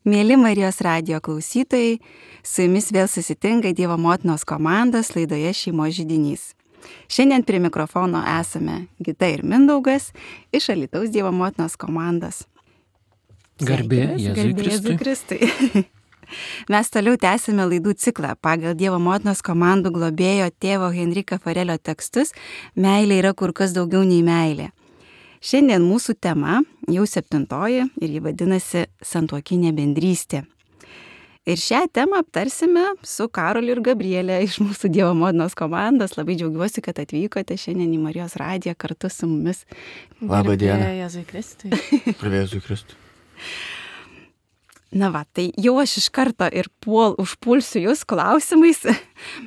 Mėly Marijos radijo klausytojai, su jumis vėl susitinka Dievo motinos komandos laidoje Šeimos židinys. Šiandien prie mikrofono esame Gita ir Mindaugas iš Alytaus Dievo motinos komandos. Garbė Jėzui Kristui. Mes toliau tęsime laidų ciklą pagal Dievo motinos komandų globėjo tėvo Henrika Farelio tekstus Meilė yra kur kas daugiau nei meilė. Šiandien mūsų tema jau 7 ir ji vadinasi Santuokinė bendrystė. Ir šią temą aptarsime su Karoliu ir Gabrielė iš mūsų Dievo motinos komandos. Labai džiaugiuosi, kad atvykote šiandien į Marijos radiją kartu su mumis. Labą dieną. Garbė Jėzui Kristui. Garbė Jėzui Kristui. Na va, tai jau aš iš karto ir užpulsiu jūs klausimais,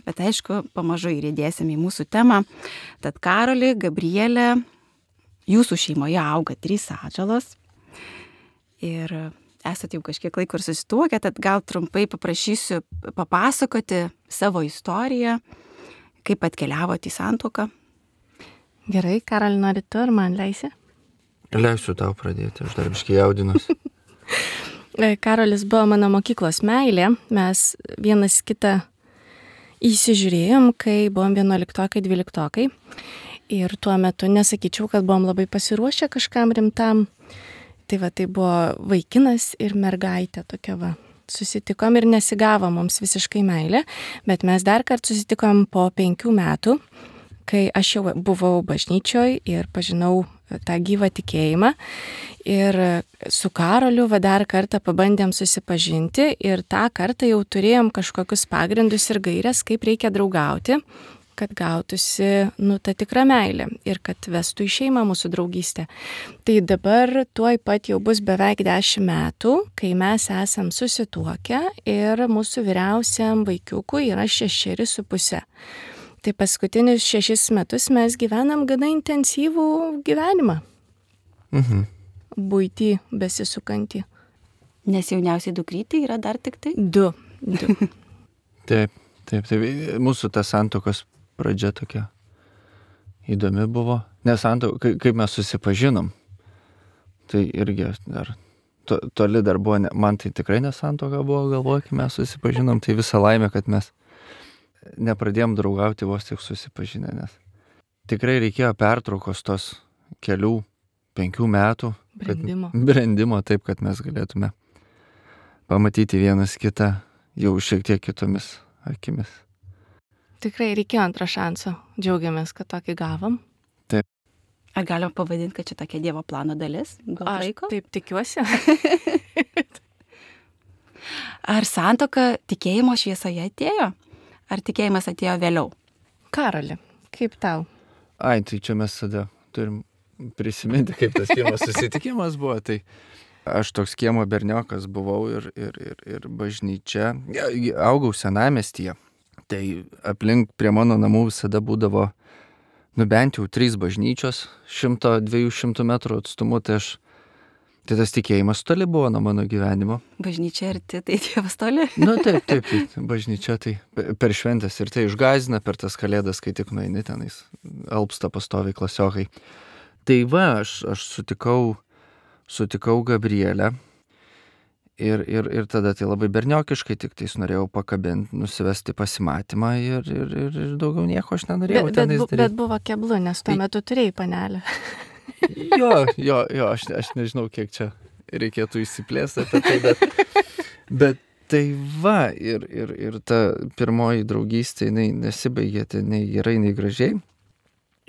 bet aišku, pamažu įrėdėsime į mūsų temą. Tad Karoli, Gabrielė, jūsų šeimoje auga 3 atžalos ir esate jau kažkiek laiko ir susituokę, tad gal trumpai paprašysiu papasakoti savo istoriją, kaip atkeliavote į santuoką. Gerai, Karoli, nori tu ar man leisi? Leisiu tau pradėti, aš dar biškai jaudinuosi. Karolis buvo mano mokyklos meilė, mes vienas kitą įsižiūrėjom, kai buvom 11-12. Ir tuo metu nesakyčiau, kad buvom labai pasiruošę kažkam rimtam. Tai buvo vaikinas ir mergaitė tokia va. Susitikom ir nesigavo mums visiškai meilė, bet mes dar kartą susitikom po 5 metų, kai aš jau buvau bažnyčioj ir pažinau tą gyvą tikėjimą. Ir su Karoliu dar kartą pabandėm susipažinti ir tą kartą jau turėjom kažkokius pagrindus ir gairias, kaip reikia draugauti, kad gautųsi ta tikra meilė ir kad vestų į šeimą mūsų draugystę. Tai dabar tuoj pat jau bus beveik 10 metų, kai mes esam susituokę ir mūsų vyriausiam vaikiukui yra 6,5. Tai paskutinius 6 metus mes gyvenam gana intensyvų gyvenimą. Buitį besisukantį. Nes jauniausiai dukrytė yra dar tik tai? 2. Taip. Mūsų ta santuokos pradžia tokia įdomi buvo. Nes kaip mes susipažinom, tai irgi dar toli dar buvo, man tai tikrai nesantuoka buvo, galvoju, kai mes susipažinom, tai visa laimė, kad mes nepradėjom draugauti vos tik susipažinę, nes tikrai reikėjo pertraukos tos 5 metų brendimo, taip, kad mes galėtume pamatyti vienas kitą jau šiek tiek kitomis akimis. Tikrai reikėjo antro šanso. Džiaugiamės, kad tokį gavom. Taip. Ar galima pavadinti, kad čia tokia Dievo plano dalis? Aš taip tikiuosi. Ar santuoka tikėjimo šviesoje atėjo? Ar tikėjimas atėjo vėliau? Karoli, kaip tau? Tai čia mes tada turim prisiminti, kaip tas pirmas susitikimas buvo. Tai aš toks kiemo berniokas buvau ir bažnyčia. Augau senamiestyje. Tai aplink prie mano namų visada būdavo bent jau 3 bažnyčios 100-200 metrų atstumu. Tai tas tikėjimas toli buvo nuo mano gyvenimo. Bažnyčia arti, tai Dievas toli? Taip, bažnyčia tai per šventės ir tai išgąsdina per tas kalėdas, kai tik nueini tenais, alpsta pastoviai klasiokai. Tai aš sutikau Gabrielę ir tada tai labai berniokiškai tik tais norėjau pakabinti, nusivesti pasimatymą ir daugiau nieko aš nenorėjau tenais daryti. Bet buvo keblu, nes tuo metu turėjai panelę. Jo, aš nežinau, kiek čia reikėtų įsiplėsti apie tai, bet tai va, ir ta pirmoji draugystė, jinai nesibaigė, tai nei gerai, nei gražiai.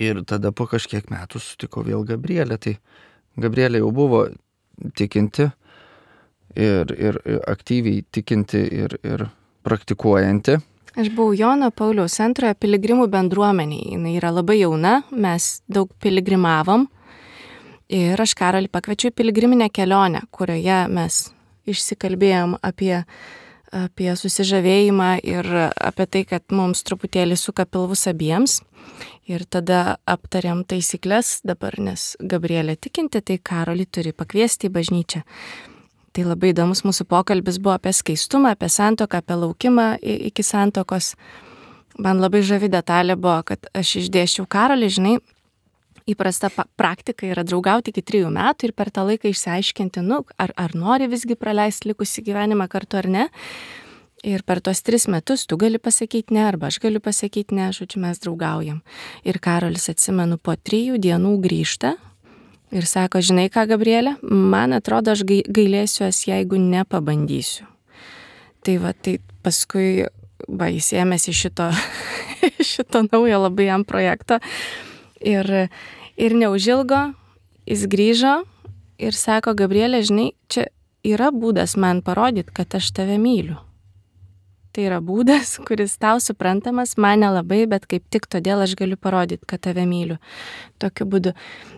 Ir tada po kažkiek metų sutikau vėl Gabrielę. Tai Gabrielė jau buvo tikinti ir aktyviai tikinti ir praktikuojanti. Aš buvau Jono Pauliaus antrojo piligrimų bendruomenėje. Jis yra labai jauna, mes daug piligrimavom. Ir aš Karolį pakviečiau į piligriminę kelionę, kurioje mes išsikalbėjom apie susižavėjimą ir apie tai, kad mums truputėlį suka pilvus abiems. Ir tada aptarėm taisyklės dabar, nes Gabrielė tikinti, tai Karolį turi pakviesti į bažnyčią. Tai labai įdomus mūsų pokalbis buvo apie skaistumą, apie santuoką, apie laukimą iki santuokos. Man labai žavi detalė buvo, kad aš išdėsčiau Karolį, žinai, įprasta praktika yra draugauti iki 3 metų ir per tą laiką išsiaiškinti, ar nori visgi praleisti likusį gyvenimą kartu ar ne. Ir per tos 3 metus tu gali pasakyti ne, arba aš galiu pasakyti ne, žodžiu, mes draugaujam. Ir Karolis, atsimenu, po 3 dienų grįžta ir sako, žinai ką, Gabrielė, man atrodo, aš gailėsiuos, jeigu nepabandysiu. Tai paskui jis ėmėsi šito naujo labai jam projekto ir neužilgo jis grįžo ir sako, Gabrielė, žinai, čia yra būdas man parodyti, kad aš tave myliu. Tai yra būdas, kuris tau suprantamas, man nelabai, bet kaip tik todėl aš galiu parodyti, kad tave myliu. Tokiu būdu.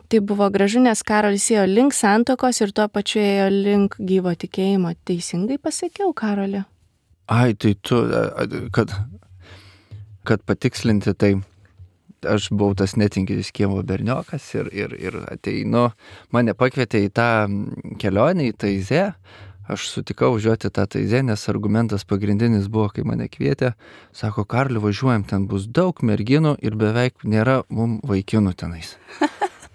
Tai buvo gražu, nes Karolis ėjo link santuokos ir tuo pačiu ėjo link gyvo tikėjimo. Teisingai pasakiau, Karoli? Ai, tai tu, kad patikslinti, tai aš buvau tas netinkintis kiemo berniokas ir ateinu, mane pakvietė į tą kelionę į Taizę. Aš sutikau važiuoti tą Taizę, nes argumentas pagrindinis buvo, kai mane kvietė, sako, Karli, važiuojam, ten bus daug merginų ir beveik nėra mum vaikinų tenais.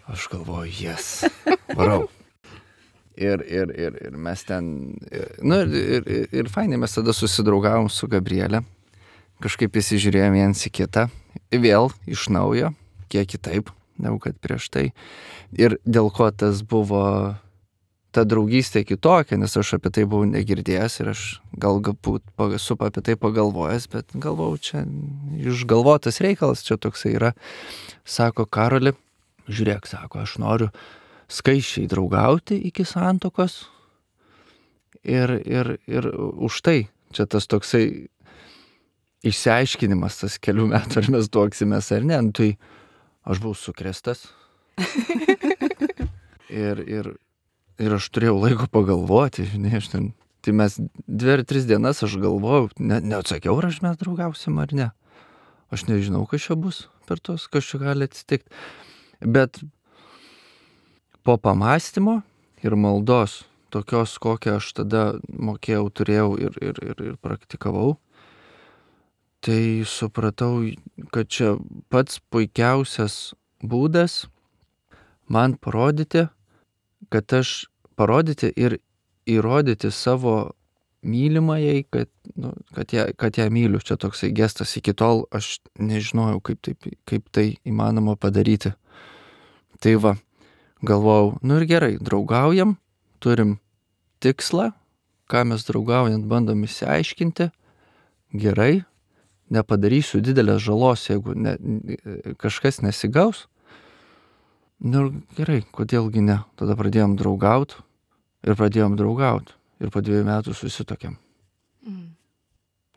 Aš galvoju, yes, varau. Ir mes ten, ir fainai mes tada susidraugavom su Gabrielė, kažkaip įsižiūrėjom viens į kitą, vėl iš naujo, kiek kitaip, negu kad prieš tai. Ir dėl ko tas buvo ta draugystė kitokia, nes aš apie tai buvau negirdėjęs ir aš galbūt esu apie tai pagalvojęs, bet galvojau, čia išgalvotas reikalas, čia toksai yra. Sako, Karoli, žiūrėk, sako, aš noriu skaičiai draugauti iki santuokos ir už tai čia tas toksai išsiaiškinimas, tas kelių metų, ar mes tuoksimės ar ne, tai aš buvau sukrėstas ir aš turėjau laiko pagalvoti, žinai, tai mes 2 ar 3 dienas aš galvojau, neatsakiau, ar mes draugausim ar ne. Aš nežinau, kas čia bus per tos, kas čia gali atsitikti. Bet po pamąstymo ir maldos, tokios, kokią aš tada mokėjau, turėjau ir praktikavau, tai supratau, kad čia pats puikiausias būdas man parodyti ir įrodyti savo mylimajai, kad ją myliu. Čia toksai gestas. Iki tol aš nežinojau, kaip tai įmanoma padaryti. Tai va, galvojau, ir gerai, draugaujam, turim tikslą, ką mes draugaujant bandom išsiaiškinti, gerai, nepadarysiu didelės žalos, jeigu kažkas nesigaus. Gerai, kodėlgi ne? Tada pradėjom draugaut ir po 2 metų susituokėm.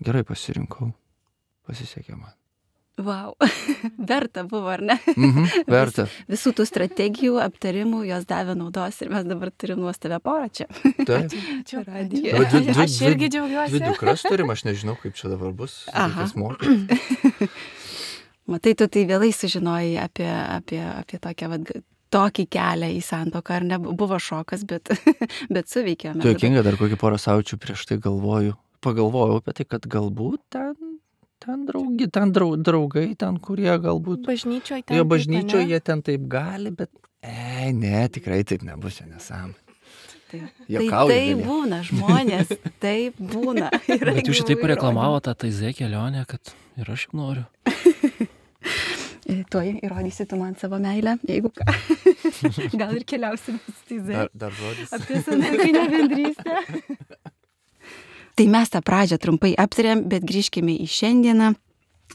Gerai pasirinkau, pasisekė man. Vau, verta buvo, ar ne? Verta. Visų tų strategijų, aptarimų, jos davė naudos ir mes dabar turim nuostabią porą čia. Taip. Aš irgi džiaugiuosi. 2 dukras turim, aš nežinau, kaip čia dabar bus. Kas mokyti. Matai, tu tai vėlai sužinojai apie tokį kelią į santuoką, ar ne? Buvo šokas, bet suveikėme. Tu juokinga, dar kokį porą savaičių prieš tai pagalvojau apie tai, kad galbūt ten draugai, ten kurie galbūt... Bažnyčioje jie ten taip gali, bet... Ne, tikrai taip nebus, čia nesąmonė. Tai būna, žmonės, taip būna. Bet jūs šitaip reklamavo tą Taizę kelionę, kad ir aš jau noriu. Tuoj įrodysi tu man savo meilę, jeigu ką. Gal ir keliausim su Taizė. Dar žodis. Apie santuokinę bendrystę. Tai mes tą pradžią trumpai aptarėm, bet grįžkime į šiandieną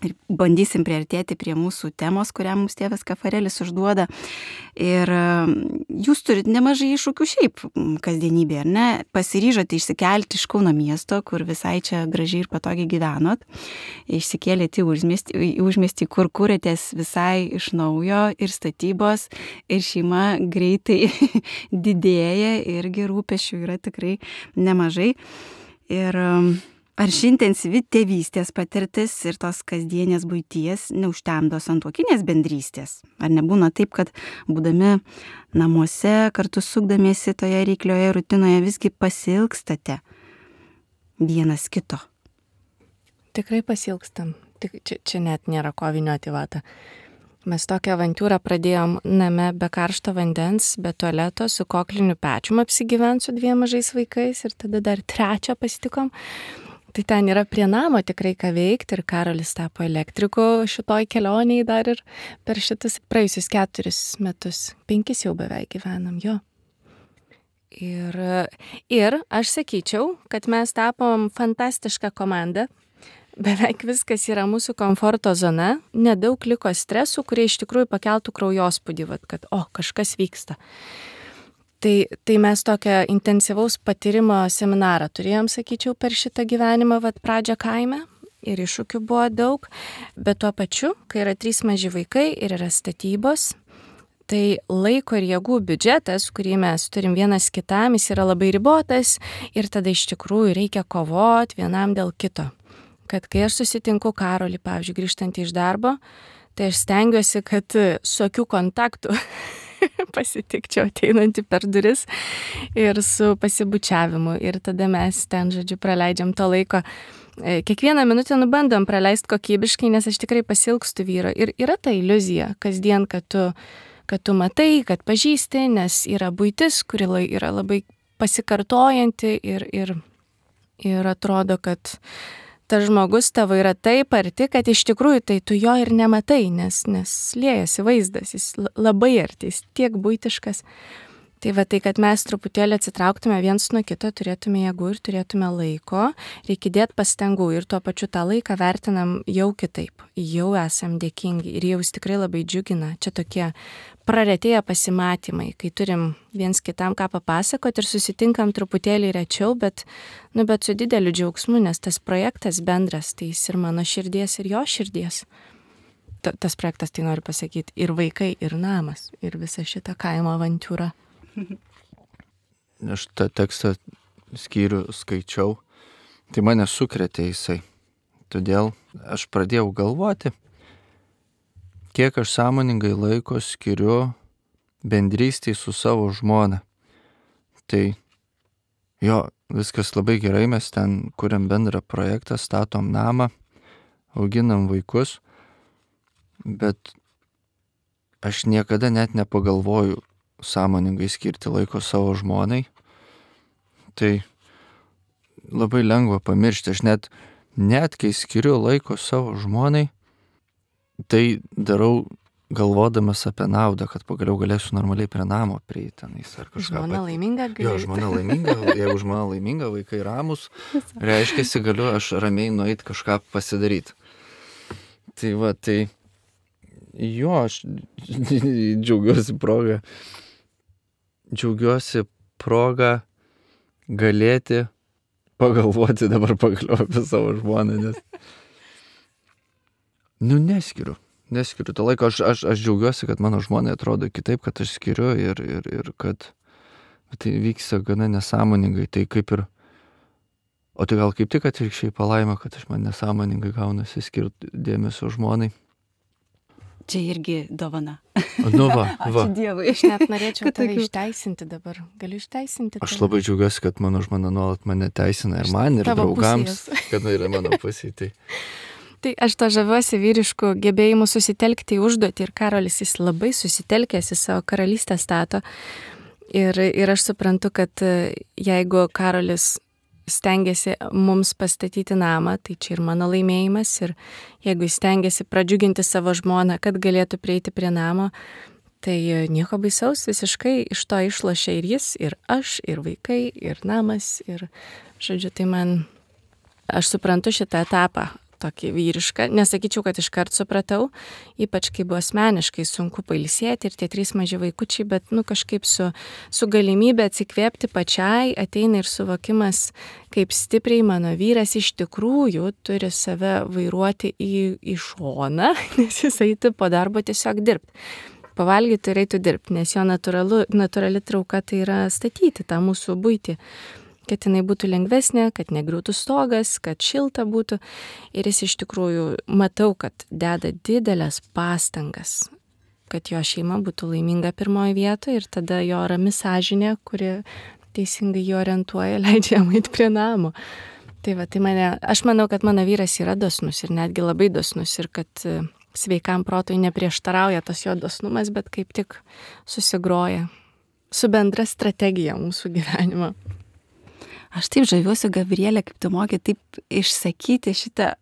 ir bandysim priartėti prie mūsų temos, kurią mums tėvas Kafarelis užduoda. Ir jūs turit nemažai iššūkių šiaip kasdienybėje, ar ne? Pasiryžote išsikelti iš Kauno miesto, kur visai čia gražiai ir patogiai gyvenot. Išsikėlėte į užmiestį, kur kūrėtės visai iš naujo ir statybos, ir šeima greitai didėja, irgi rūpesčių yra tikrai nemažai. Ir ar ši intensyvi tėvystės patirtis ir tos kasdienės buities neužtemdo santuokinės bendrystės? Ar nebūna taip, kad būdami namuose, kartu sukdamiesi toje reiklioje rutinoje visgi pasilgstate vienas kito? Tikrai pasilgstam. Čia net nėra ko vynioti vatą. Mes tokią avantūrą pradėjom name be karšto vandens, be tualeto, su kokliniu pečium apsigyvent su 2 mažais vaikais ir tada dar 3 pasitikom. Tai ten yra prie namo tikrai ką veikti ir Karolis tapo elektriku šitoj kelioniai dar ir per šitus praėjusius 4 metus, 5 jau beveik gyvenam, jo. Ir aš sakyčiau, kad mes tapom fantastišką komandą. Beveik viskas yra mūsų komforto zona, nedaug liko stresų, kurie iš tikrųjų pakeltų kraujospūdį, kad kažkas vyksta. Tai mes tokią intensyvaus patyrimo seminarą turėjom, sakyčiau, per šitą gyvenimą, pradžią kaime ir iššūkių buvo daug, bet tuo pačiu, kai yra 3 maži vaikai ir yra statybos, tai laiko ir jėgų biudžetas, kurį mes turim vienas kitam, jis yra labai ribotas ir tada iš tikrųjų reikia kovoti vienam dėl kito. Kad kai aš susitinku Karolį, pavyzdžiui, grįžtantį iš darbo, tai aš stengiuosi, kad su akių kontaktu pasitikčiau ateinantį per duris ir su pasibučiavimu. Ir tada mes ten, žodžiu, praleidžiam to laiko. Kiekvieną minutę bandom praleisti kokybiškai, nes aš tikrai pasilgstu vyro. Ir yra ta iliuzija kasdien, kad tu matai, kad pažįsti, nes yra buitis, kuri yra labai pasikartojanti ir atrodo, kad tas žmogus tavo yra taip arti, kad iš tikrųjų tai tu jo ir nematai, nes liejasi vaizdas, jis labai arti, jis tiek buitiškas. Tai kad mes truputėlį atsitrauktume viens nuo kito, turėtume jėgų ir turėtume laiko, reikia dėti pastangų ir tuo pačiu tą laiką vertinam jau kitaip, jau esam dėkingi ir jau jis tikrai labai džiugina. Čia tokie praretėję pasimatymai, kai turim viens kitam ką papasakoti ir susitinkam truputėlį rečiau, bet su dideliu džiaugsmu, nes tas projektas bendras, tai jis ir mano širdies, ir jo širdies. Tas projektas, tai noriu pasakyti, ir vaikai, ir namas, ir visa šita kaimo avantūra. Aš tą tekstą skyrių skaičiau, tai mane sukrėtė jisai. Todėl aš pradėjau galvoti, kiek aš sąmoningai laiko skiriu bendrystėj su savo žmona. Tai jo, viskas labai gerai, mes ten kuriam bendrą projektą, statom namą, auginam vaikus, bet aš niekada net nepagalvoju sąmoningai skirti laiko savo žmonai. Tai labai lengva pamiršti. Aš net kai skiriu laiko savo žmonai, tai darau galvodamas apie naudą, kad pagaliau galėsiu normaliai prie namo prieiti tenais ar kažką. Žmona laiminga gali. Jo, žmona laiminga, jeigu žmona laiminga, vaikai ramus, reiškiasi galiu aš ramiai nueiti kažką pasidaryti. Tai jo, aš džiaugiuosi progą galėti pagalvoti dabar pagaliau apie savo žmoną, nes neskiriu to laiko. Aš džiaugiuosi, kad mano žmonai atrodo kitaip, kad aš skiriu ir kad tai vyksta gana nesąmoningai. Tai kaip ir, o tai gal kaip tik atvirkščiai palaima, kad aš man nesąmoningai gaunasi skirti dėmesio žmonai. Čia irgi dovana. Nu va. Ačiū Dievui. Aš net norėčiau tave išteisinti dabar. Galiu išteisinti. Aš labai džiaugiuosi, kad mano žmona nuolat mane teisina ir man, ir draugams, kad yra mano pusėj. Tai aš to žaviuosi vyriškų gebėjimų susitelkti į užduotį ir Karolis jis labai susitelkęs į savo karalystę stato. Ir aš suprantu, kad jeigu Karolis stengiasi mums pastatyti namą, tai čia ir mano laimėjimas. Ir jeigu jis stengiasi pradžiuginti savo žmoną, kad galėtų prieiti prie namo, tai nieko baisaus, visiškai iš to išlošia ir jis, ir aš, ir vaikai, ir namas. Ir, žodžiu, tai aš suprantu šitą etapą tokį vyrišką. Nesakyčiau, kad iškart supratau, ypač kai buvo asmeniškai sunku pailsėti ir tie 3 maži vaikučiai, bet kažkaip su galimybė atsikvėpti pačiai ateina ir suvokimas, kaip stipriai mano vyras iš tikrųjų turi save vairuoti į šoną, nes jis eitų po darbo tiesiog dirbti. Pavalgyti ir eitų dirbti, nes jo natūrali trauka tai yra statyti tą mūsų buitį. Kad jinai būtų lengvesnė, kad negriūtų stogas, kad šilta būtų. Ir jis iš tikrųjų matau, kad deda didelės pastangas, kad jo šeima būtų laiminga pirmoje vietoje ir tada jo rami sąžinė, kuri teisingai jį orientuoja, leidžia jam eiti prie namo. Tai aš manau, kad mano vyras yra dosnus ir netgi labai dosnus ir kad sveikam protui neprieštarauja tas jo dosnumas, bet kaip tik susigroja su bendra strategija mūsų gyvenimo. Aš taip žaviuosi, Gabrielė, kaip tu moki taip išsakyti šitą,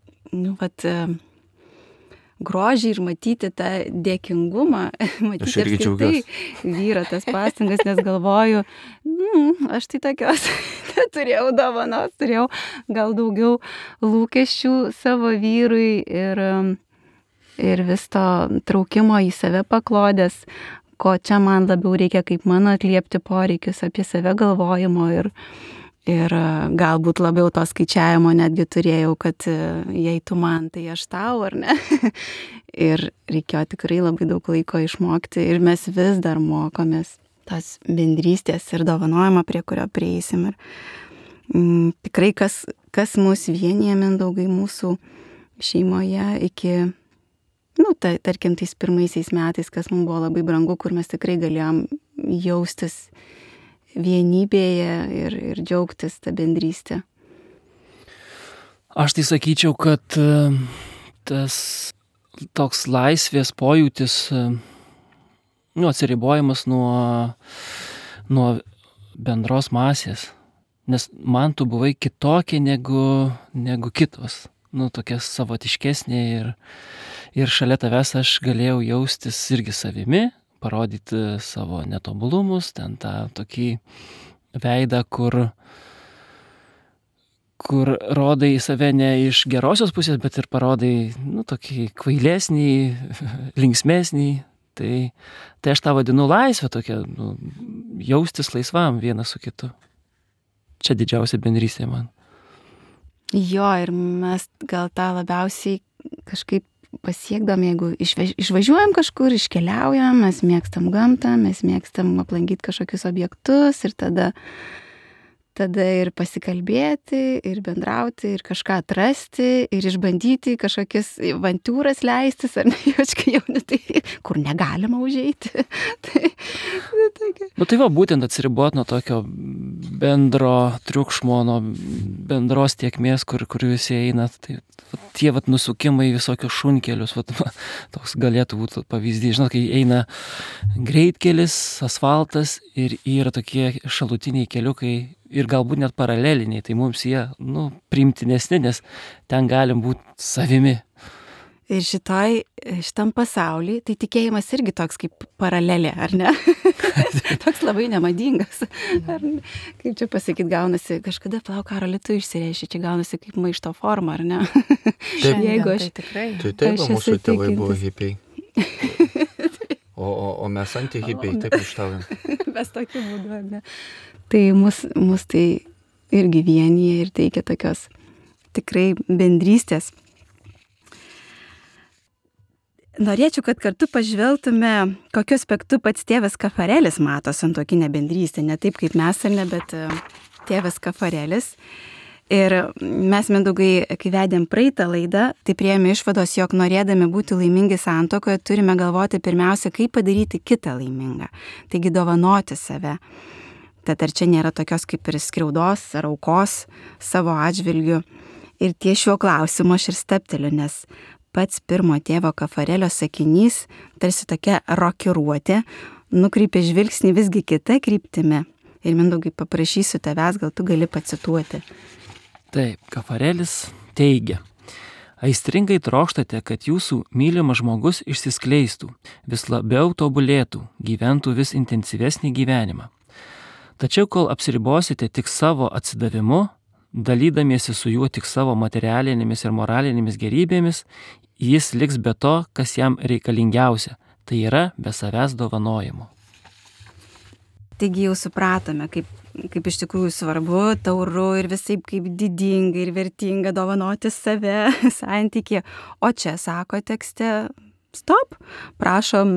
grožį ir matyti tą dėkingumą, matyti Aš irgi džiaugiuosi vyro tas pastangas, nes galvoju, aš tai tokios turėjau dovanos, turėjau gal daugiau lūkesčių savo vyrui ir vis to traukimo į save paklodės, ko čia man labiau reikia, kaip mano atliepti poreikius, apie save galvojimo ir galbūt labiau to skaičiavimo netgi turėjau, kad jei tu man, tai aš tau, ar ne? Ir reikėjo tikrai labai daug laiko išmokti ir mes vis dar mokomės tos bendrystės ir dovanojimo, prie kurio prieisim. Ir tikrai kas mus vienyje, Mindaugai, mūsų šeimoje iki, tarkim, tais pirmaisiais metais, kas mums buvo labai brangu, kur mes tikrai galėjom jaustis vienybėje ir džiaugtis tą bendrystę. Aš tai sakyčiau, kad tas toks laisvės pojūtis, atsiribojimas nuo bendros masės, nes man tu buvai kitokia negu kitos, tokia savotiškesnė ir šalia tavęs aš galėjau jaustis irgi savimi, parodyti savo netobulumus, ten tą tokį veidą, kur rodai save ne iš gerosios pusės, bet ir parodai, tokį kvailesnį, linksmesnį. Tai aš tą vadinu laisvę tokia, jaustis laisvam vienas su kitu. Čia didžiausia bendrystė man. Jo, ir mes gal tą labiausiai kažkaip pasiekdam, jeigu išvažiuojam kažkur, iškeliaujam, mes mėgstam gamtą, mes mėgstam aplankyti kažkokius objektus ir tada ir pasikalbėti, ir bendrauti, ir kažką atrasti, ir išbandyti kažkokias avantūras leistis, ar ne, kai jauni, tai kur negalima užeiti. Tai va, būtent atsiribot nuo tokio bendro triukšmo, nuo bendros tiekmės, kur visi eina. Tai tie nusukimai visokius šunkelius, toks galėtų būti pavyzdys. Žinot, kai eina greitkelis, asfaltas ir yra tokie šalutiniai keliukai ir galbūt net paraleliniai, tai mums jie, priimtinesni, nes ten galim būti savimi. Ir šitam pasauly, tai tikėjimas irgi toks kaip paralelė, ar ne? Toks labai nemadingas. Kaip čia pasakyti, gaunasi, kažkada, Karoli, tu išsireiški, čia gaunasi kaip maišto forma, ar ne? Taip, jeigu aš... Tai taip, mūsų tėvai buvo hipiai. O mes anti-hipiai, taip ištaujam. Mes tokiu būdu, ar ne? Tai mus tai irgi vienyje ir teikia tokios tikrai bendrystės. Norėčiau, kad kartu pažvelgtume, kokiu aspektu pats tėvas Kafarelis mato santuokinę bendrystę, ne taip kaip mes, ar ne, bet tėvas Kafarelis. Ir mes, Mindaugai, kai vedėm praeitą laidą, tai priėjome išvados, jog norėdami būti laimingi santuokoje, turime galvoti pirmiausia, kaip padaryti kitą laimingą. Taigi dovanoti save. Tad ar čia nėra tokios kaip ir skriaudos ar aukos savo atžvilgiu. Ir ties šiuo klausimu aš ir stepteliu, nes pats pirmo tėvo Kafarelio sakinys, tarsi tokia rokiruotė, nukreipia žvilgsnį visgi kita kryptimi. Ir Mindaugai, paprašysiu tavęs, gal tu gali pacituoti. Taip, Kafarelis teigia: aistringai trokštate, kad jūsų mylimas žmogus išsiskleistų, vis labiau tobulėtų, gyventų vis intensyvesnį gyvenimą. Tačiau kol apsiribosite tik savo atsidavimu, dalydamiesi su juo tik savo materialinėmis ir moralinėmis gerybėmis, jis liks be to, kas jam reikalingiausia, tai yra be savęs dovanojimo. Taigi jau supratome, kaip iš tikrųjų svarbu, tauru ir visaip kaip didinga ir vertinga dovanoti save santykį. O čia sako tekste, stop, prašom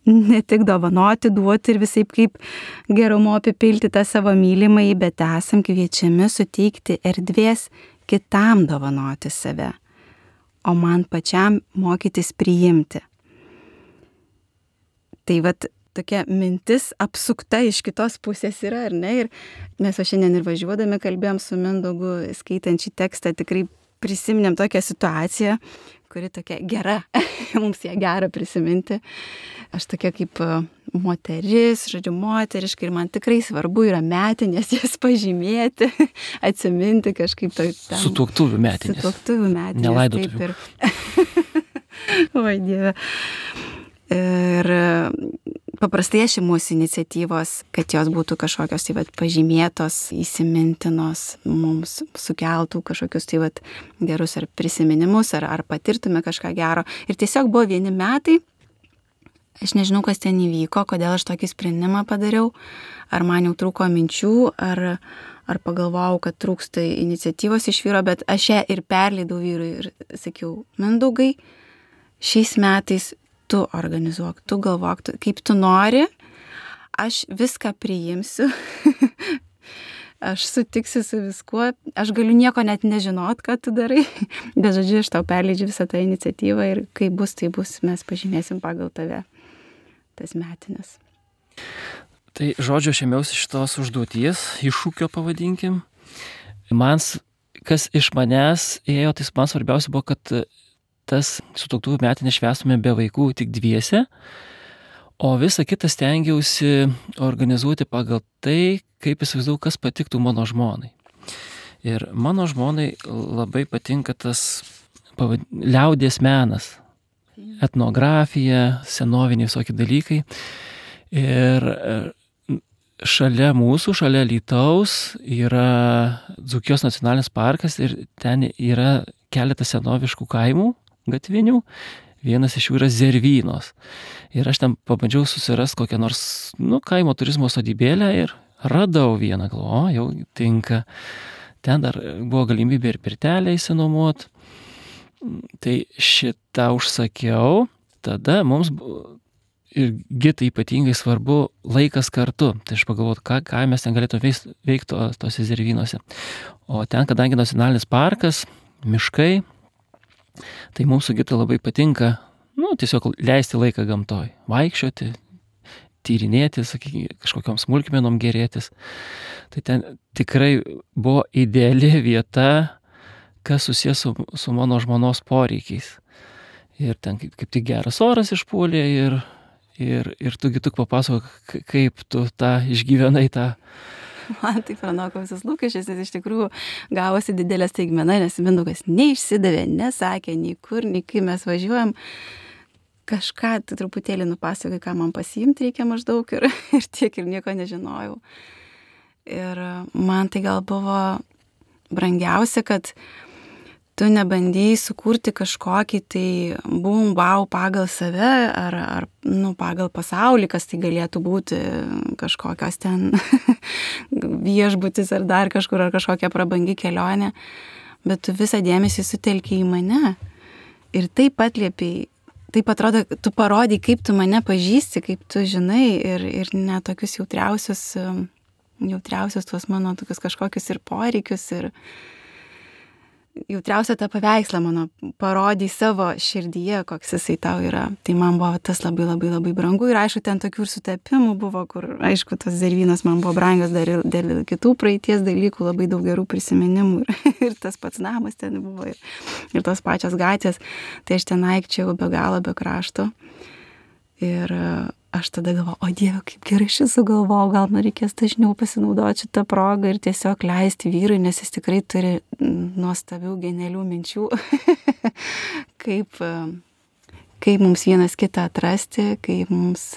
ne tik dovanoti, duoti ir visaip kaip gerumo apipilti tą savo mylimąjį, bet esam kviečiami suteikti erdvės kitam dovanoti save, o man pačiam mokytis priimti. Tai vat tokia mintis apsukta iš kitos pusės yra, ar ne? Ir mes šiandien ir važiuodami kalbėjom su Mindaugu, skaitant šį tekstą, tikrai prisiminėm tokią situaciją, kuri tokia gera, mums ją gera prisiminti. Aš tokia kaip moteris, žodžiu, moteriškai ir man tikrai svarbu yra metinės jas pažymėti, atsiminti kažkaip to. Sutuoktuvių metinės. Sutuoktuvių metinės. Nelaidotuvių. Oi, Dieve. Ir paprastai aš imuosi iniciatyvos, kad jos būtų kažkokios tai pažymėtos, įsimintinos, mums sukeltų kažkokius tai gerus ar prisiminimus, ar patirtume kažką gero. Ir tiesiog buvo vieni metai, aš nežinau, kas ten įvyko, kodėl aš tokį sprendimą padariau, ar man jau trūko minčių, ar pagalvojau, kad trūksta iniciatyvos iš vyro, bet aš ją ir perleidau vyrui ir sakiau, Mindaugai, šiais metais tu organizuok, tu galvok, kaip tu nori, aš viską priimsiu, aš sutiksiu su viskuo, aš galiu nieko net nežinot, ką tu darai, bet žodžiu, aš tau perleidžiu visą tą iniciatyvą ir kaip bus, tai bus, mes pažymėsim pagal tave tas metinės. Tai žodžiu, aš ėmiausi šitos užduoties, iššūkio pavadinkim. Man, kas iš manęs ėjo, tai man svarbiausia buvo, kad tas sutuoktuvių metinės švęstume be vaikų tik dviese, o visą kitą stengiausi organizuoti pagal tai, kaip įsivaizduoju, kas patiktų mano žmonai. Ir mano žmonai labai patinka tas liaudies menas, etnografija, senoviniai visokie dalykai. Ir šalia mūsų, šalia Alytaus yra Dzūkijos nacionalinis parkas ir ten yra keletas senoviškų kaimų gatvinių, vienas iš jų yra Zervynos. Ir aš ten pabandžiau susirasti kokią nors, kaimo turizmo sodybėlę ir radau vieną, galvoju, jau tinka. Ten dar buvo galimybė ir pirtelę įsinuomot. Tai šitą užsakiau, tada mums ir Gitai ypatingai svarbu laikas kartu. Tai aš pagalvoju, ką mes ten galėtume veikti tose Zervynuose. O ten, kadangi nacionalinis parkas, miškai, tai mums su Gita labai patinka, tiesiog leisti laiką gamtoj, vaikščioti, tyrinėti, sakykime, kažkokiom smulkmenom gerėtis. Tai ten tikrai buvo ideali vieta, kas susijęs su mano žmonos poreikiais. Ir ten kaip tik geras oras išpuolė ir tu Gituk papasakok, kaip tu tą išgyvenai tą. Man tai pranoko visus lūkesčius, nes iš tikrųjų gavosi didelė staigmena, nes Mindaugas neišsidavė, nesakė nei kur, nei kai mes važiuojam. Kažką truputėlį nupasakoja, ką man pasiimti reikia maždaug ir tiek ir nieko nežinojau. Ir man tai gal buvo brangiausia, kad tu nebandėjai sukurti kažkokį tai bum, wow pagal save ar pagal pasaulį, kas tai galėtų būti kažkokios ten viešbutis ar dar kažkur, ar kažkokia prabangi kelionė, bet tu visą dėmesį sutelkiai į mane ir taip atliepiai, taip atrodo, tu parodai, kaip tu mane pažįsti, kaip tu žinai ir ne tokius jautriausius tuos mano tokius kažkokius ir poreikius ir jautriausia tą paveikslą mano parodai savo širdyje, koks jisai tau yra. Tai man buvo tas labai labai labai brangu ir aišku, ten tokių ir sutapimų buvo, kur aišku, tos Zervynos man buvo brangios dar ir dėl kitų praeities dalykų, labai daug gerų prisiminimų ir tas pats namas ten buvo ir tos pačios gatvės. Tai aš ten aikčiau be galo, be krašto. Ir aš tada galvoju, o Dieve, kaip gerai šis sugalvojau, gal man reikės dažniau pasinaudoti šitą progą ir tiesiog leisti vyrui, nes jis tikrai turi nuostabių, genialių minčių, kaip mums vienas kitą atrasti, kaip mums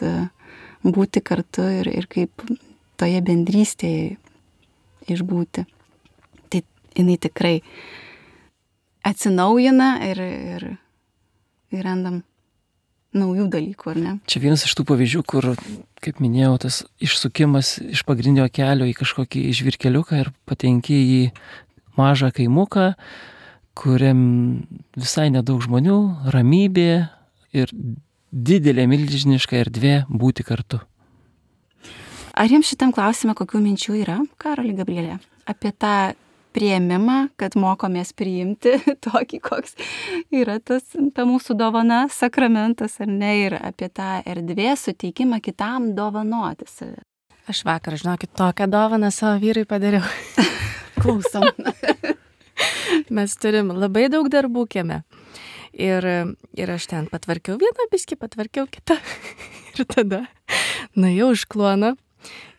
būti kartu ir kaip toje bendrystėje išbūti. Tai jinai tikrai atsinaujina ir randam naujų dalykų, ar ne? Čia vienas iš tų pavyzdžių, kur, kaip minėjau, tas išsukimas iš pagrindinio kelio į kažkokį žvyrkeliuką ir patenki į mažą kaimuką, kuriam visai nedaug žmonių, ramybė ir didelė milžiniška erdvė būti kartu. Ar jums šitam klausime kokių minčių yra, Karoli, Gabrielė, apie tą priėmimą, kad mokomės priimti tokį, koks yra ta mūsų dovana, sakramentas ar ne, ir apie tą erdvės suteikimą kitam dovanoti save. Aš vakar, žinokit, tokią dovaną savo vyrui padariau. Klausom. Mes turim labai daug darbų kieme. Ir aš ten patvarkiau vieną biskį, patvarkiau kitą. Ir tada nuėjau iš kluono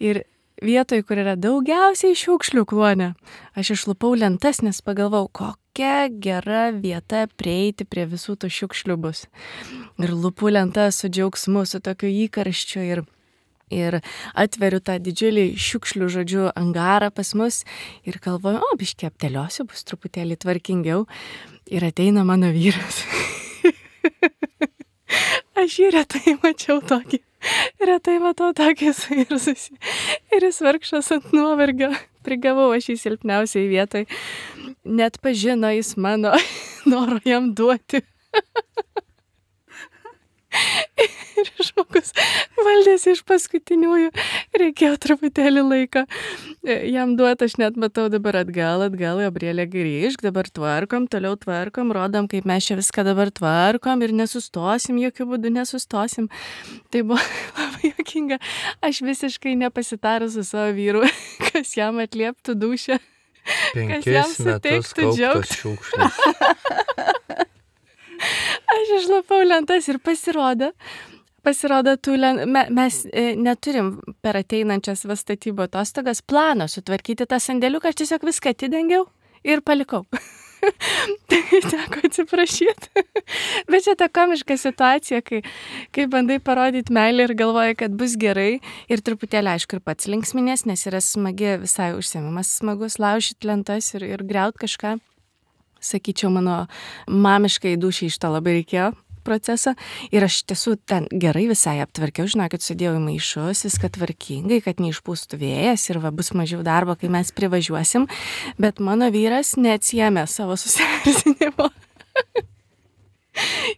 ir vietoj, kur yra daugiausiai šiukšlių kluone, aš išlupau lentas, nes pagalvau, kokia gera vieta prieiti prie visų tų šiukšlių bus. Ir lupu lentas su džiaugsmu, su tokiu įkarščiu ir atveriu tą didžiulį šiukšlių, žodžiu, angarą pas mus ir galvoju, biškį apteliosiu, bus truputėlį tvarkingiau. Ir ateina mano vyras. Aš jį retai matau tokį suirzusi. Ir jis vargšas ant nuovargio. Prigavau aš jį silpniausiai vietoj. Net pažino jis mano noro jam duoti. Ir žmogus valdėsi iš paskutiniųjų. Reikėjo truputėlį laiko jam duoti. Aš net matau dabar atgal, Gabrielė grįžk, dabar tvarkom, toliau tvarkom, rodom, kaip mes čia viską dabar tvarkom ir nesustosim, jokių būdų nesustosim. Tai buvo labai juokinga. Aš visiškai nepasitarus su savo vyru, kas jam atlieptų dūšią. 5 metus kauptos šiukšlės. Aš išlapau lentas ir pasirodo, mes neturim per ateinančias statybų atostogas plano sutvarkyti tą sandėliuką, aš tiesiog viską atidengiau ir palikau. Tai teko atsiprašyti. Bet čia ta komiška situacija, kai bandai parodyti meilę ir galvoji, kad bus gerai ir truputėlį aišku ir pats linksminės, nes yra smagi visai užsiėmimas, smagus laužyti lentas ir griaut kažką. Sakyčiau, mano mamiškai dūšiai iš to labai reikėjo procesą. Ir aš tiesų ten gerai visai aptvarkiau, žinokit, sudėjau į maišus, viską tvarkingai, kad neišpūstų vėjas ir bus mažiau darbo, kai mes privažiuosim. Bet mano vyras neatsiėmė savo susierzinimo.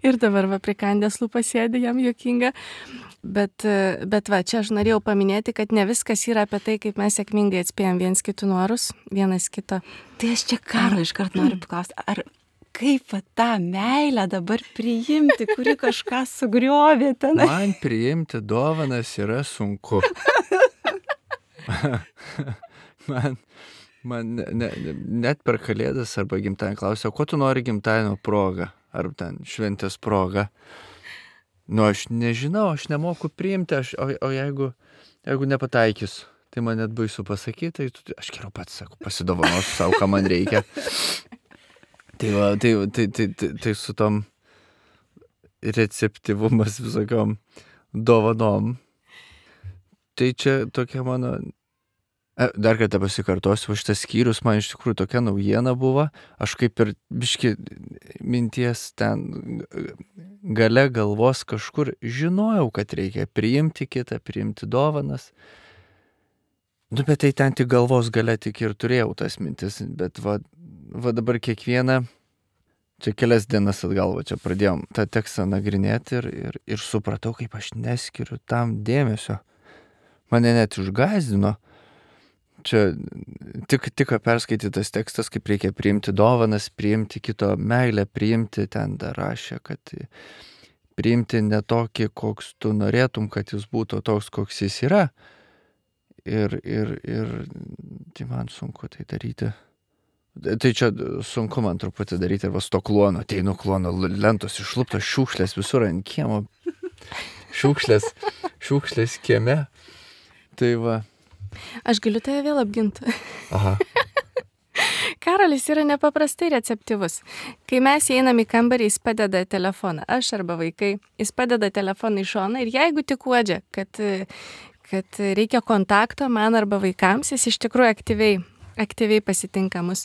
Ir dabar prikandęs lūpas sėdi, jam juokinga. Bet čia aš norėjau paminėti, kad ne viskas yra apie tai, kaip mes sėkmingai atspėjom viens kitų norus, vienas kito. Tai aš čia Karo iškart noriu paklausti, ar kaip tą meilę dabar priimti, kuri kažką sugriovė ten? Man priimti dovanas yra sunku. Man net per Kalėdas arba gimtadienį klausia, ko tu nori gimtadienio proga, ar ten šventės proga. Aš nežinau, aš nemoku priimti, o jeigu nepataikys, tai man net baisu pasakyti, tai aš geriau pats sakau, pasidovanosiu savo, ką man reikia. Tai su tom receptyvumas visokiom dovanom. Tai čia tokia mano... Dar kartą pasikartosiu, šitas skyrius man iš tikrųjų tokia naujiena buvo. Aš kaip ir biški minties ten gale galvos kažkur žinojau, kad reikia priimti kitą, priimti dovanas. Bet tai ten tik galvos gale tik ir turėjau tas mintis. Bet va dabar kiekvieną, čia kelias dienas atgal, čia pradėjom tą tekstą nagrinėti ir supratau, kaip aš neskiriu tam dėmesio. Mane net išgąsdino. Čia tik perskaitytas tekstas, kaip reikia priimti dovanas, priimti kito meilę, priimti, ten dar rašė, kad priimti ne tokį, koks tu norėtum, kad jis būtų toks, koks jis yra. Ir tai man sunku tai daryti. Tai čia sunku man truputį daryti, ir va su to kluono, ateinu kluono, lentos išluptos, šiukšlės visur ant kiemo, šiukšlės kieme. Tai va. Aš galiu tave vėl apginti. Aha. Karolis yra nepaprastai receptyvus. Kai mes einam į kambarį, jis padeda telefoną, aš arba vaikai, jis padeda telefoną į šoną ir jeigu tik uodžia, kad reikia kontakto man arba vaikams, jis iš tikrųjų aktyviai pasitinka mus.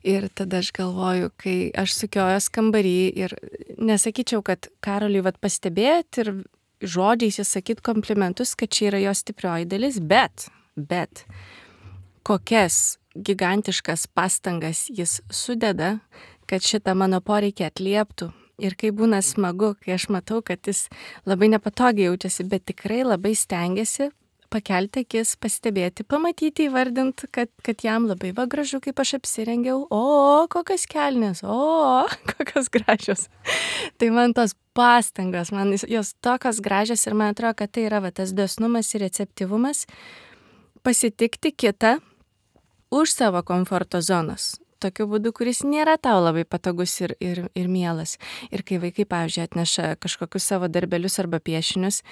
Ir tada aš galvoju, kai aš sukiojos kambarį ir nesakyčiau, kad Karoliui pastebėt ir žodžiais jis sakyt komplimentus, kad čia yra jo stiprioji dalis, bet kokias gigantiškas pastangas jis sudeda, kad šitą mano poreikį atlieptų. Ir kai būna smagu, kai aš matau, kad jis labai nepatogiai jaučiasi, bet tikrai labai stengiasi pakelti akis, pastebėti, pamatyti, įvardinti, kad jam labai gražu, kaip aš apsirengiau. O, kokios kelnės, kokios gražios. Tai man tos pastangos, man jos tokios gražios ir man atrodo, kad tai yra tas dosnumas ir receptyvumas pasitikti kitą už savo komforto zonos. tokiu būdu, kuris nėra tau labai patogus ir mielas. Ir kai vaikai, pavyzdžiui, atneša kažkokius savo darbelius arba piešinius,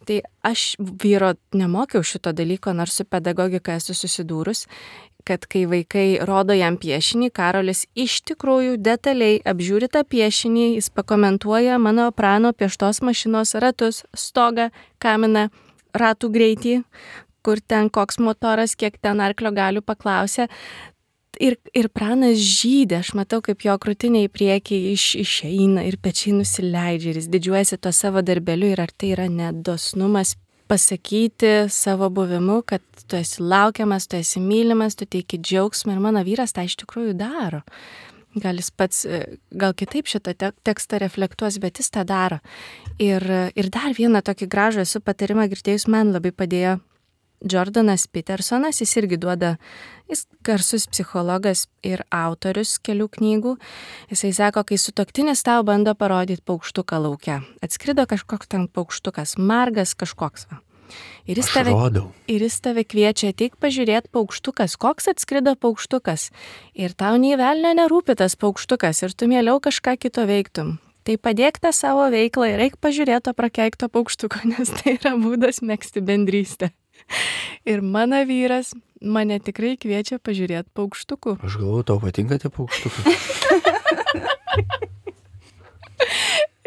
tai aš vyro nemokiau šito dalyko, nors su pedagogika esu susidūrus, kad kai vaikai rodo jam piešinį, Karolis iš tikrųjų detaliai apžiūri tą piešinį, jis pakomentuoja mano prano pieštos mašinos ratus, stogą, kaminą, ratų greitį, kur ten koks motoras, kiek ten arklio galių paklausė. Ir pranas žydė, aš matau, kaip jo krūtinė į priekį išeina ir pečiai nusileidžia ir jis didžiuojasi to savo darbeliu ir ar tai yra nedosnumas pasakyti savo buvimu, kad tu esi laukiamas, tu esi mylimas, tu teiki džiaugsmą ir mano vyras tą iš tikrųjų daro. Gal jis pats, gal kitaip šitą tekstą reflektuos, bet jis tą daro. Ir dar vieną tokį gražų esu patarimą girdėjus, man labai padėjo Jordanas Petersonas, jis irgi duoda, jis garsus psichologas ir autorius kelių knygų. Jisai sako, kai sutuoktinis tau bando parodyti paukštuką lauke. Atskrido kažkoks ten paukštukas, margas kažkoks. Va. Ir jis tave kviečia ateik pažiūrėti paukštukas, koks atskrido paukštukas. Ir tau nei velnio nerūpi tas paukštukas ir tu mieliau kažką kito veiktum. Tai padėk tą savo veiklą ir eik pažiūrėti to prakeikto paukštuko, nes tai yra būdas megzti bendrystę. Ir mano vyras mane tikrai kviečia pažiūrėti paukštukų. Aš galvoju, tau patinka tie paukštukai.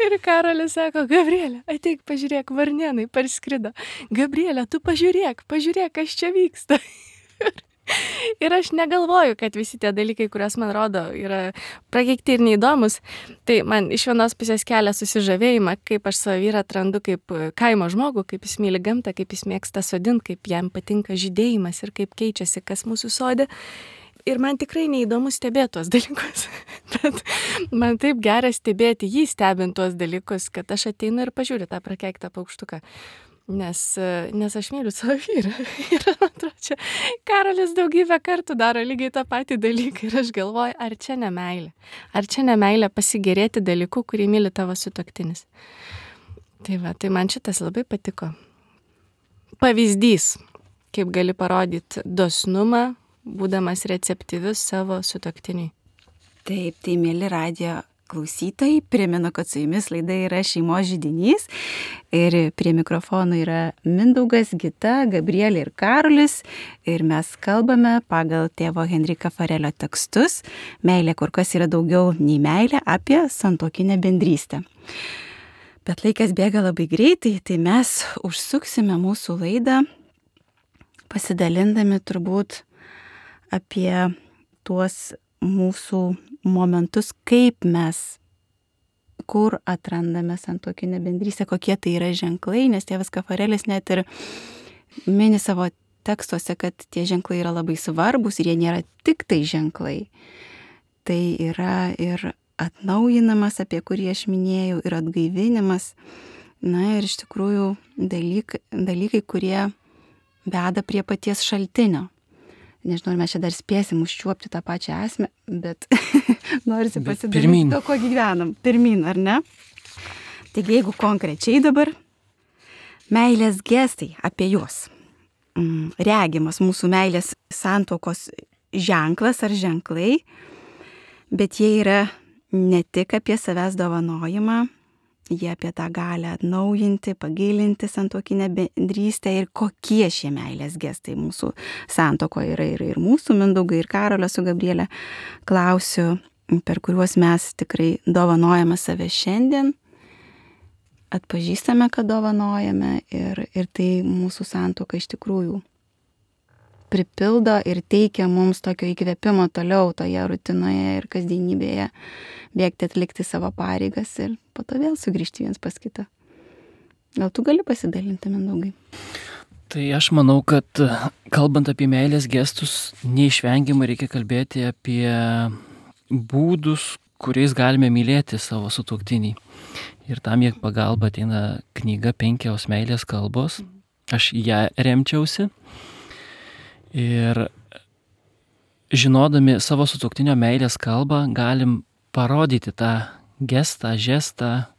Ir Karolis sako, Gabrielė, ateik pažiūrėk, varnėnai parskrido. Gabrielė, tu pažiūrėk, kas čia vyksta. Ir aš negalvoju, kad visi tie dalykai, kuriuos man rodo, yra prakeikti ir neįdomus. Tai man iš vienos pusės kelia susižavėjimą, kaip aš savo vyrą atrandu kaip kaimo žmogų, kaip jis myli gamtą, kaip jis mėgsta sodinti, kaip jam patinka žydėjimas ir kaip keičiasi kas mūsų sode. Ir man tikrai neįdomu stebėti tuos dalykus. Bet man taip gera stebėti jį stebint tuos dalykus, kad aš ateinu ir pažiūriu tą prakeiktą paukštuką. Nes aš myliu savo vyrą. Ir man atrodo, čia Karolis daugybę kartų daro lygiai tą patį dalyką. Ir aš galvoju, ar čia ne meilė? Ar čia ne meilė pasigėrėti dalyku, kurį myli tavo sutuoktinis? Tai man šitas labai patiko. Pavyzdys, kaip gali parodyti dosnumą, būdamas receptyvius savo sutuoktiniui. Taip, tai mėly radijo klausytojai, primenu, kad su jumis laida yra Šeimos židinys ir prie mikrofono yra Mindaugas, Gita, Gabrielė ir Karolis ir mes kalbame pagal tėvo Henrika Farelio tekstus Meilė kur kas yra daugiau nei meilė apie santuokinę bendrystę. Bet laikas bėga labai greitai, tai mes užsuksime mūsų laidą pasidalindami turbūt apie tuos mūsų momentus, kaip mes, kur atrandame santuokinę bendrystę, kokie tai yra ženklai, nes tėvas Kafarelis net ir mini savo tekstuose, kad tie ženklai yra labai svarbus ir jie nėra tik tai ženklai. Tai yra ir atnaujinamas, apie kurį aš minėjau, ir atgaivinimas. Na ir iš tikrųjų dalykai, kurie veda prie paties šaltinio. Nežinau, ar mes čia dar spėsim užčiuopti tą pačią esmę, bet norisi pasidalinti to, ko gyvenam. Pirmyn, ar ne? Taigi, jeigu konkrečiai dabar, meilės gestai apie juos. Regimas mūsų meilės santuokos ženklas ar ženklai, bet jie yra ne tik apie savęs dovanojimą, jie apie tą galę atnaujinti, pagilinti santuokinę bendrystę ir kokie šie meilės gestai mūsų santuokoje yra ir mūsų Mindaugai ir Karolio su Gabrielė klausiu, per kuriuos mes tikrai dovanojame save šiandien, atpažįstame, kad dovanojame ir tai mūsų santuoka iš tikrųjų pripildo ir teikia mums tokio įkvėpimo toliau toje rutinoje ir kasdienybėje bėgti atlikti savo pareigas ir po to vėl sugrįžti viens pas kitą. Gal tu gali pasidalinti, Mindaugai? Tai aš manau, kad kalbant apie meilės gestus, neišvengiamai reikia kalbėti apie būdus, kuriais galime mylėti savo sutuoktinį. Ir tam jie pagalba ateina knyga 5 meilės kalbos. Aš ją remčiausi. Ir žinodami savo sutuoktinio meilės kalbą galim parodyti tą gestą, žestą,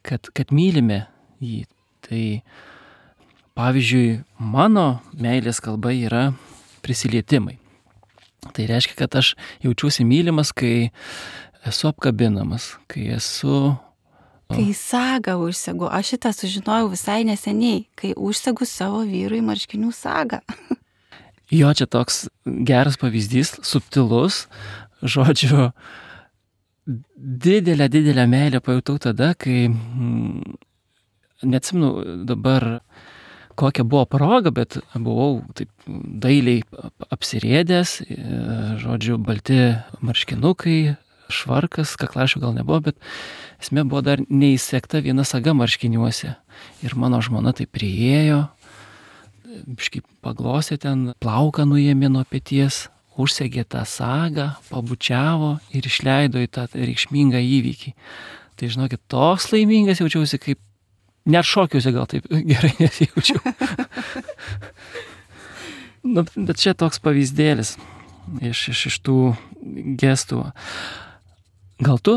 kad mylime jį. Tai pavyzdžiui, mano meilės kalba yra prisilietimai. Tai reiškia, kad aš jaučiuosi mylimas, kai esu apkabinamas, kai esu... Kai sagą užsegu, aš šitą sužinojau visai neseniai, kai užsegu savo vyrui marškinių sagą. Jo, čia toks geras pavyzdys, subtilus, žodžiu, didelę meilę pajutau tada, kai, neatsimenu dabar kokia buvo proga, bet buvau taip dailiai apsirėdęs, žodžiu, balti marškinukai, švarkas, kaklašių gal nebuvo, bet esmė buvo dar neįsekta viena saga marškiniuose. Ir mano žmona tai priėjo, biškai paglosė ten, plauką nuėmė nuo peties, užsegė tą sagą, pabučiavo ir išleido į tą reikšmingą įvykį. Tai žinokit, toks laimingas jaučiausi, kaip net šokiuose gal taip gerai nesijaučiau. Nu, bet čia toks pavyzdėlis iš tų gestų. Gal tu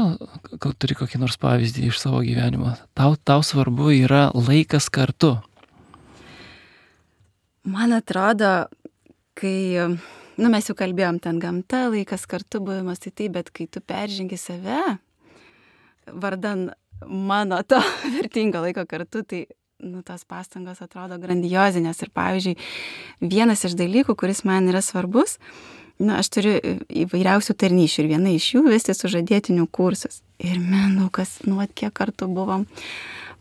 turi kokį nors pavyzdį iš savo gyvenimo? Tau svarbu yra laikas kartu. Man atrodo, kai, mes jau kalbėjom ten gamta, laikas kartu buvimas, tai taip, bet kai tu peržengi save, vardan mano to vertingo laiko kartu, tai, tos pastangos atrodo grandiozinės. Ir pavyzdžiui, vienas iš dalykų, kuris man yra svarbus, aš turiu įvairiausių tarnyšių ir viena iš jų vesti sužadėtinių kursus. Ir Mindaugas, kiek kartų buvom,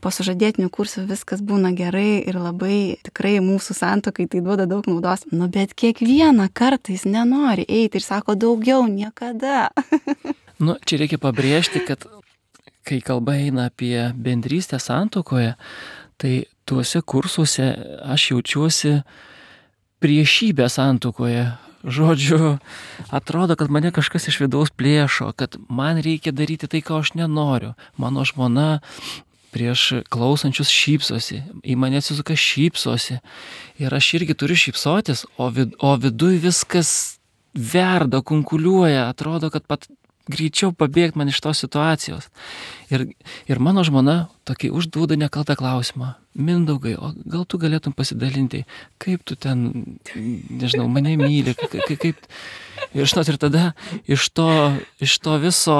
po sužadėtinių kursų viskas būna gerai ir labai tikrai mūsų santuokai tai duoda daug naudos. Bet kiekvieną kartą jis nenori eiti ir sako daugiau niekada. Čia reikia pabrėžti, kad kai kalba eina apie bendrystę santuokoje, tai tuose kursuose aš jaučiuosi priešybę santuokoje. Žodžiu, atrodo, kad mane kažkas iš vidaus plėšo, kad man reikia daryti tai, ko aš nenoriu. Mano žmona prieš klausančius šypsosi, į mane atsisuka šypsosi. Ir aš irgi turiu šypsotis, o viduj viskas verda, kunkuliuoja, atrodo, kad pat greičiau pabėgti man iš tos situacijos. Ir mano žmona tokį užduoda nekaltą klausimą. Mindaugai, o gal tu galėtum pasidalinti, kaip tu ten, nežinau, mane myli, kaip... Ir žinot, ir tada iš to viso,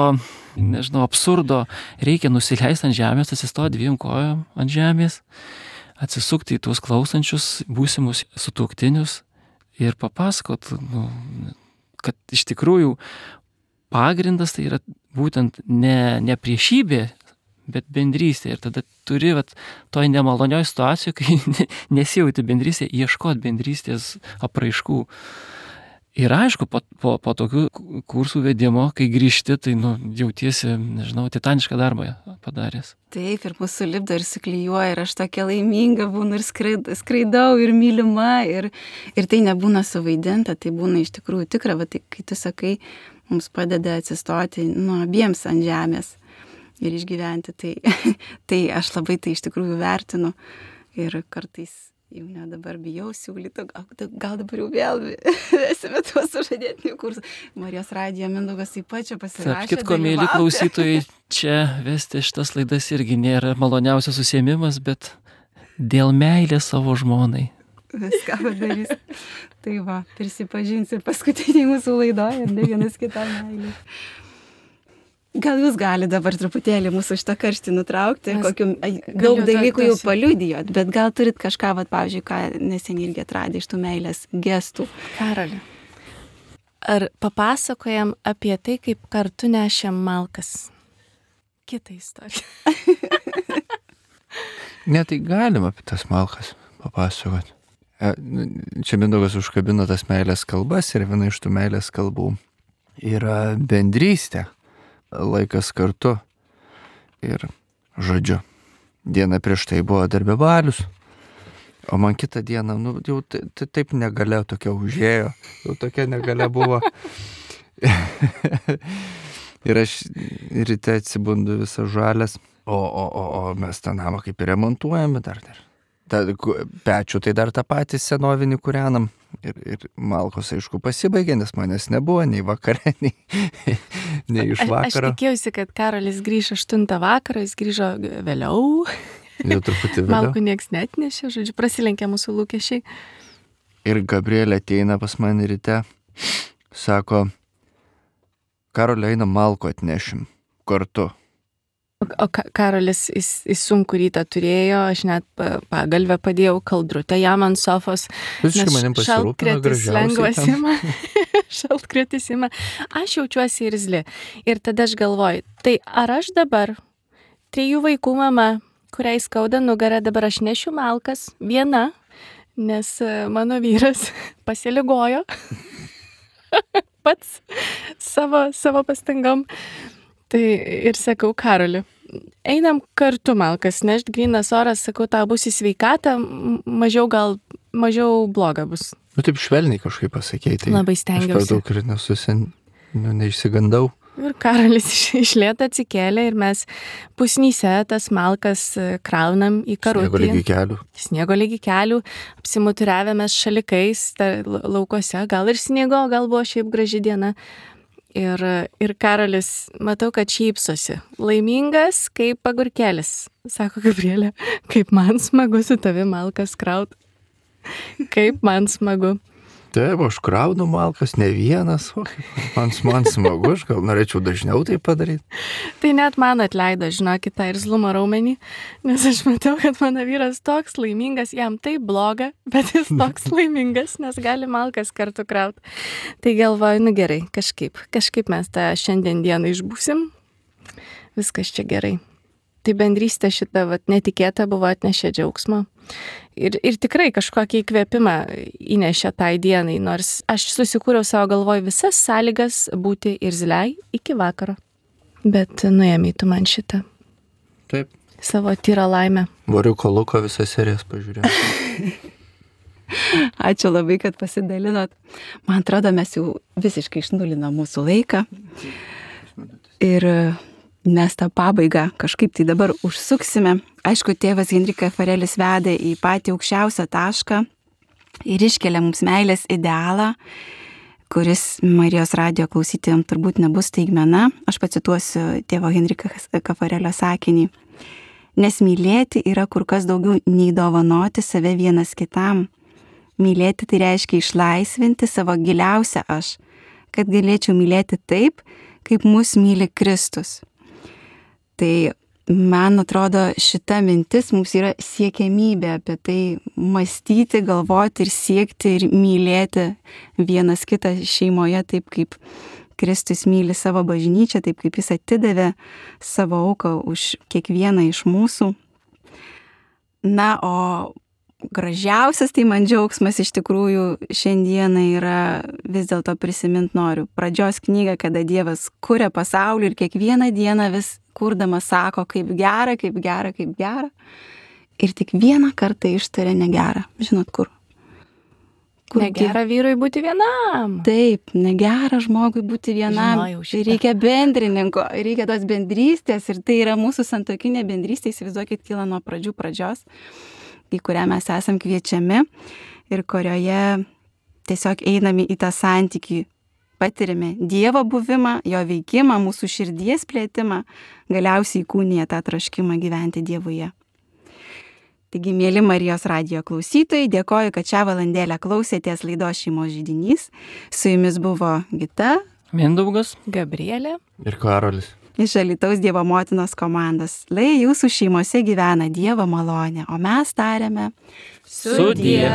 nežinau, absurdo reikia nusileisti ant žemės, atsistoti dviem kojom ant žemės, atsisukti į tuos klausančius būsimus sutuoktinius ir papasakot, kad iš tikrųjų pagrindas tai yra būtent ne priešybė, bet bendrystė. Ir tada turi toj nemalonioj situacijoje, kai nesijauti bendrystė, ieškoti bendrystės apraiškų. Ir aišku, po tokių kursų vedimo, kai grįžti, tai jautiesi, nežinau, titanišką darbą padaręs. Taip, ir mūsų lipdo ir suklijuoja, ir aš tokia laiminga būnu, ir skraidau, ir mylima, ir tai nebūna suvaidinta, tai būna iš tikrųjų tikra, tai kai tu sakai, mums padeda atsistoti abiems ant žemės ir išgyventi, tai aš labai tai iš tikrųjų vertinu ir kartais jau ne dabar bijau siūlyti, gal dabar jau vėl esame tuos sužadėtinių kursų. Marijos radijo Mindaugas taip pat čia pasirašė. Tarp kitko, mėly klausytojai, čia vesti šitas laidas irgi nėra maloniausias užsiėmimas, bet dėl meilės savo žmonai. Viską padarys. Tai prisipažinsiu paskutiniai mūsų laidoje ir ne vienas kitam meilė. Gal jūs gali dabar truputėlį mūsų šitą karštį nutraukti, kokių daug dalykų jau paliudijot, bet gal turit kažką, pavyzdžiui, ką neseniai irgi atradė iš tų meilės gestų. Karoli, ar papasakojam apie tai, kaip kartu nešėm malkas? Kita istorija. Ne, tai galim apie tas malkas papasakoti. Čia Mindaugas užkabino tas meilės kalbas ir viena iš tų meilės kalbų yra bendrystė. Laikas kartu. Ir žodžiu, diena prieš tai buvo darbė balius, o man kitą dieną, jau taip negalia tokia užėjo, jau tokia negalia buvo. Ir aš ryte atsibundu visą žalės, o mes tą namą kaip ir remontuojame dar. Pečių tai dar tą patį senovinį kūrenam. Ir malkos, aišku, pasibaigė, nes manęs nebuvo nei vakare, nei iš vakaro. Aš tikėjausi, kad Karolis grįž 8 vakaro, jis grįžo vėliau. Jau truputį vėliau. Malkų nieks netnešė, žodžiu, prasilenkė mūsų lūkesčiai. Ir Gabrielė ateina pas mane ryte, sako, Karoli, einam malko atnešim kartu. O Karolis, jis sunku rytą turėjo, aš net pagalvę padėjau kaldrutę jam ant sofos. Visiškai manim pasirūpino gražiausiai. Šaltkritis ima. Aš jaučiuosi irzli. Ir tada aš galvoju, tai ar aš dabar 3 vaikų mama, kuriai skauda nugarą, dabar aš nešiu malkas viena, nes mano vyras pasiligojo pats savo pastangom. Tai ir sakau, Karoli, einam kartu malkas nešt, grynas oras, sakau, tau bus į sveikatą, mažiau bloga bus. Taip švelniai kažkaip pasakei. Tai labai stengiausi. Aš per daug ir neišsigandau. Ir Karolis iš lėto atsikėlė ir mes pusnyse tas malkas kraunam į karutį. Sniego lygi kelių. Apsimuturiavėmės šalikais laukuose, gal ir sniego, gal buvo šiaip graži diena. Ir Karolis, matau, kad šypsosi. Laimingas kaip agurkelis. Sako Gabrielė, kaip man smagu su tavi malkas kraut. Kaip man smagu. Taip, aš kraunu malkas ne vienas. Man smagu, aš gal norėčiau dažniau tai padaryti. Tai net man atleido, žinokit, tą irzlumo raumenį, nes aš matau, kad mano vyras toks laimingas, jam taip bloga, bet jis toks laimingas, nes gali malkas kartu kraut. Tai galvoju, nu gerai, kažkaip mes tą šiandien dieną išbūsim, viskas čia gerai. Tai bendrystė šita netikėta buvo, atnešė džiaugsmo. Ir tikrai kažkokį įkvėpimą įnešė tai dienai, nors aš susikūriau savo galvoj visas sąlygas būti irzliai iki vakaro. Bet nuėmė tu man šitą. Taip. Savo tyrą laimę. Voriuko Luko visas serijas pažiūrėjau. Ačiū labai, kad pasidalinot. Man atrodo, mes jau visiškai išnulinom mūsų laiką. Ir mes tą pabaigą kažkaip tai dabar užsuksime. Aišku, tėvas Henrikas Farelis veda į patį aukščiausią tašką ir iškelia mums meilės idealą, kuris Marijos radijo klausytojams turbūt nebus staigmena. Aš pacituosiu tėvo Henrikas Farelio sakinį. Nes mylėti yra kur kas daugiau nei dovanoti save vienas kitam. Mylėti tai reiškia išlaisvinti savo giliausią aš, kad galėčiau mylėti taip, kaip mus myli Kristus. Tai man atrodo, šita mintis mums yra siekiamybė apie tai mąstyti, galvoti ir siekti ir mylėti vienas kitą šeimoje taip, kaip Kristus myli savo bažnyčią, taip kaip jis atidavė savo auką už kiekvieną iš mūsų. Na, o gražiausias tai man džiaugsmas iš tikrųjų šiandieną yra vis dėlto prisimint noriu pradžios knygą, kada Dievas kuria pasaulį ir kiekvieną dieną vis kurdamas sako, kaip gera, kaip gera, kaip gera. Ir tik vieną kartą ištarė negera. Žinot, kur? Negera vyrui būti vienam. Taip, negera žmogui būti vienam. Reikia bendrininko, reikia tos bendrystės ir tai yra mūsų santuokinė bendrystė, įsivaizduokit, kyla nuo pradžios, į kurią mes esam kviečiami ir kurioje tiesiog einame į tą santykį, patiriame Dievo buvimą, jo veikimą, mūsų širdies plėtimą, galiausiai įkūnija tą troškimą gyventi Dievuje. Taigi, mėly Marijos radijo klausytojai, dėkoju, kad šią valandėlę klausėtės laidos Šeimos židinys. Su jumis buvo Gita, Mindaugas, Gabrielė ir Karolis. Iš Alytaus Dievo motinos komandos. Lai jūsų šeimose gyvena Dievo malonė, o mes tariame sudie.